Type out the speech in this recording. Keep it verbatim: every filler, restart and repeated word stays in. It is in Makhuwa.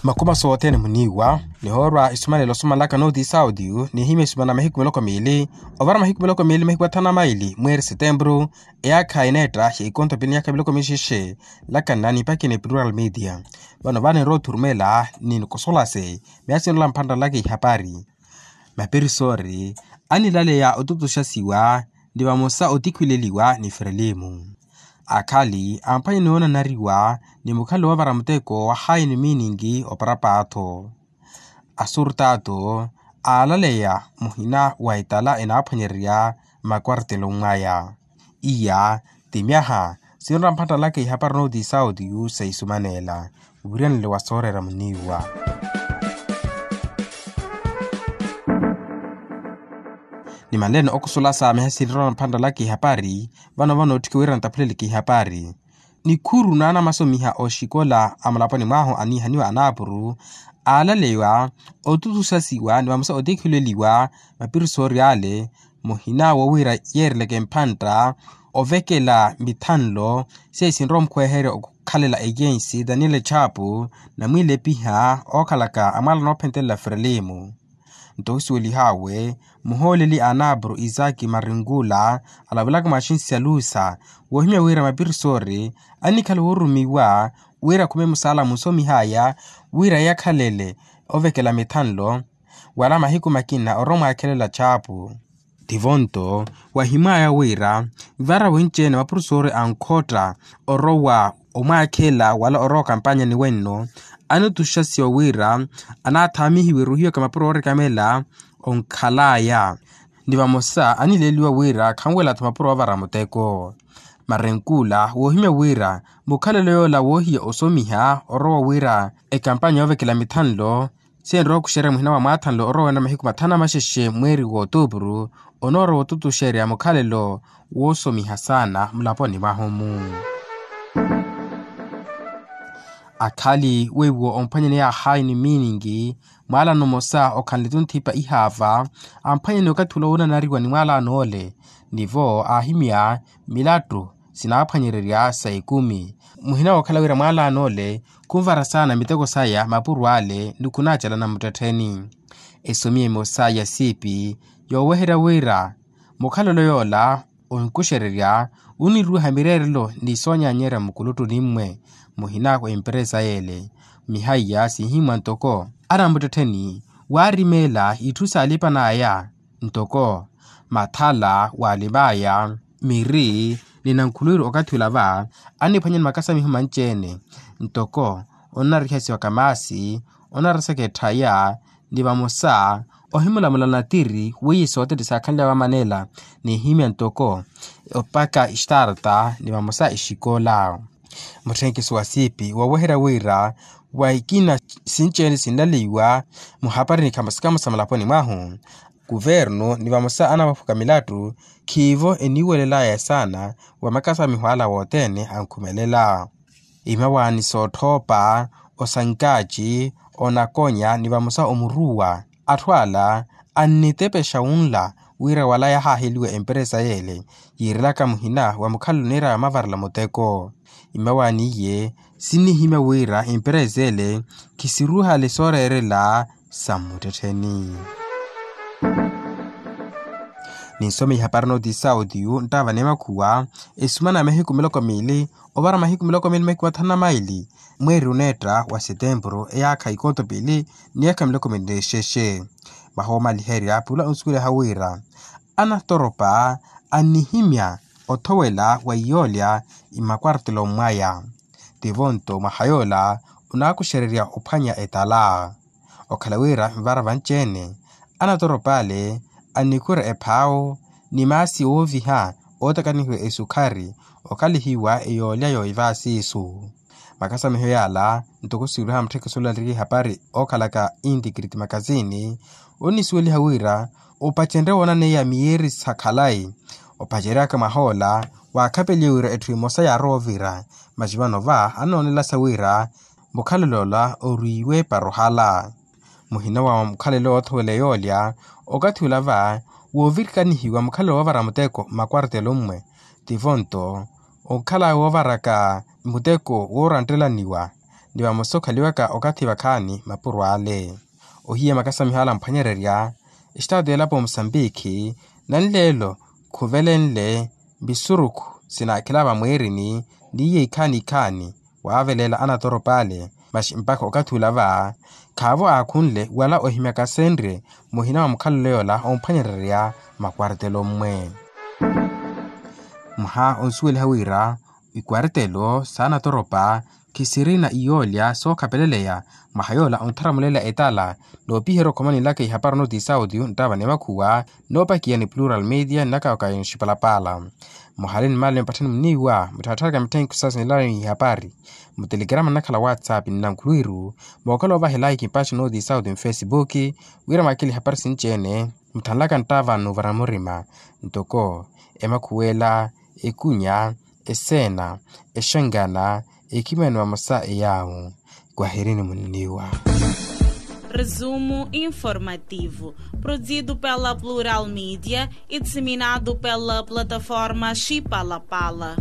Makhumaso othene muniiwa nihoorwa isumanelo osumanlaka nooti sautiyu nihimya isumana mahiku miloko miili ovara mahiku miloko miili mahiku athanu na maili mweeri setempuru. Eyaakha eneetta ya ikonto pili ni yaakha miloko mixexe. Lakanna nipakini plural media vano vano enrowa othurumela ni nikosolase miya sinrola mphantta laka ihapari. Mapirisori anilaleya otutuxasiwa ni vamosa otikhwileliwa ni frelimu. Akhali amphwanye ni onanariwa ni mukhalo woovara muteko wa haini miiningi oparapaatho. Asurtato aalaleya muhina wa etala enaaphwanyererya makwartelo mwaya. Iya ti myaha sinrola mphattalaka ihapari nooti sautiyu sa isumaneela. Wiriyanelo wa sooreera muniiwa ni manleene okusulasa miha sinrola mphattalaka ihapari. Vano vano otthiki wira ntaphuleleke ihapari. Nikhuru naanamasomiha oxikola a mulaponi mwahu aniihaniwa anaapuru aalaleya otutuxasiwa ni vamosa otikhileliwa mapirisori ale muhina wowira yeereleke mphantta ovekela mithanlo. Seisinrowa omukhweherya okukhalela ejensi daniel chapu namwiilepiha ookhalaka amwala noophentelela frelimu. Nto osuwelihawe muhooleli a anapuru isaki marinkula alavelaka mwa axinsi ya lusa woohimya wira mapirisori annikhala woorumiwa wira akhume musaala munsomihaya wira yakhalele ovekela mithanlo wala mahiku makina orowa omwaakhelela chapu. Tivo nto wahimwaya wira vara winci-ene mapurusoori ankhotta orowa omwaakhela wala orowa okampanyani wenno anutuxasiwa wira anaathaamihiwe ruhiwaka mapuro oorekamela onkhalaya ni vamosa anileliwa wira khanwela-tho mapuro oovara muteko. Marenkula woohimya wira mukhalelo yoola woohiya osomiha orowa wira ekampanya yoovekela mithanlo sinrowa okuxerya muhina wa mwaathanlo orowa wena mahiku mathanu amaxexe mweeri wa otuupuru onoorowa otutuxerya mukhalelo woosomiha saana mulaponi mwahu-mu. Akhali weiwo omphwanyani yaahayi ni miiningi mwaalano mmosa okhanle tunthipa ihaava amphwanyani okathi ula woonanariwa ni mwaalano ole nivo aahimya milattu sinaaphwanyererya sa ekumi muhina wookhala wira mwaalano ole khunvara saana miteko saya mapuro ale ni khunaacalana muttettheni. Esomiye emosa ya siipi yooweherya wira mukhalelo yoola onkuxererya oniruuha mireerelo ni soonyanyerya mukuluttuni mmwe muhina wa emperesa yeele. Mihaiya sinhimwa ntoko anamuttettheni waarimeela itthu saalipan'aya ntoko mathala waalim'aya miri ni nankhulwiru okathi ula va anniphwanya ni makasamiho manci-ene ntoko onarihasiwa kamaasi onarasaka etthaya ni vamosa ohimulamula natiri weiye soothene saakhanly'awe amanela nihimya ntoko opaka ixtarta ni vamosa exikola. Mutthenkiso wa siipi wooweherya wira wa ikina sinci-ene sinlaleiwa muhapari ni khamosa khamosa mulaponi mwahu kuvernu ni vamosa anavaphuka milattu khiivo eniiwelel'aya saana wa makasamiho ala wothene ankhumelela. Imawaani sootthoopa osankaaci onakonya ni vamosa omuruwa atthu ala annitepexa wunla wira wala yahaaheliwa emperesa yeele yiirelaka muhina wa mukhalelo niir'aya omavarela muteko. Imawaani iye sinnihimya wira emperesa ele khisiruuhale sooreerela sa mmuttettheni. Ninsome ihapari nooti sautiyu nttaava ni makhuwa esumana ya mahiku miloko miili ovara mahiku miloko miili mahiku mathanu na maili mweeri oneetta wa setempuru eyaakha ikooto piili ni yaakha miloko miili n'exexe. Vahoomaliherya pula onsuweliha wira anatoropa annihimya othowela wa iyoolya mmakwartelo mwaya tivo nto mwaha yoola onaakuxererya ophwanya etala. Okhala wira nvara vanci-ene anatoropa ale annikhwira ephaawo ni maasi ooviha ootakanihiwa esukhari okhalihiwa eyoolya yooivaasiisu. Makasamiho yaala ntoko siiruha mutthekesolo aliriki ihapari ookhalaka intikiriti makasini onnisuweliha wira opacenrye woonaneiya miyeeri sa khalayi opaceryaka mwahoola waakhapeliye wira etthu emosa yaarowa ovira. Masi vano va annoonelasa wira mukhalelo ola oriiwe para ohala muhina wa mukhalelo oothowela yoolya okathi ula va woovirikanihiwa mukhalelo woovara muteko mmakwartelo mmwe tivo nto onkhala woovaraka muteko woorantelaniwa ni vamosa okhaliwaka okathi vakhaani mapuro ale. Ohiya makasamiho ala amphwanyererya, estado elapo musambikhi nanleelo khuvelenle visurukhu sinaakhela vamwiirini, n'iye ikhaani ikhaani waaveleela anatoropa ale. Maxi mpakha okathi ula va khaavo aakhunle wala ohimyaka asenrye muhina wa mukhalelo yoola omphwanyererya makwartelo mmwe. Mwaha onsuweliha wira ikwartelo s'anatoropa khisirina iyoolya sookhapeleleya mwaha yoola ontharamulela etala. Noopiherya okhoma ninlaka ihapari onootiisa audio nttava ni makhuwa noopakiya ni plural media nnakawaka yoxipalapala. Muhale ni male mpatthani muniiwa mutthattharaka mitthenkhu sasa nilala ni ihapari mutelegrama nnakhala whatsapp nnankhulwiru mookhala ovaha elaiki mpaxi onootiisa audio mfesibuki wira mwakhile ihapari sinci-ene. Mutthanlaka nttava n'uvara murima ntoko emakhuwela, ekunya, eseena, exangana, ekhimani vamosa eyaawu. Kwahirini munniwa. Resumo informativo, produzido pela Plural Media e disseminado pela plataforma Chipalapala.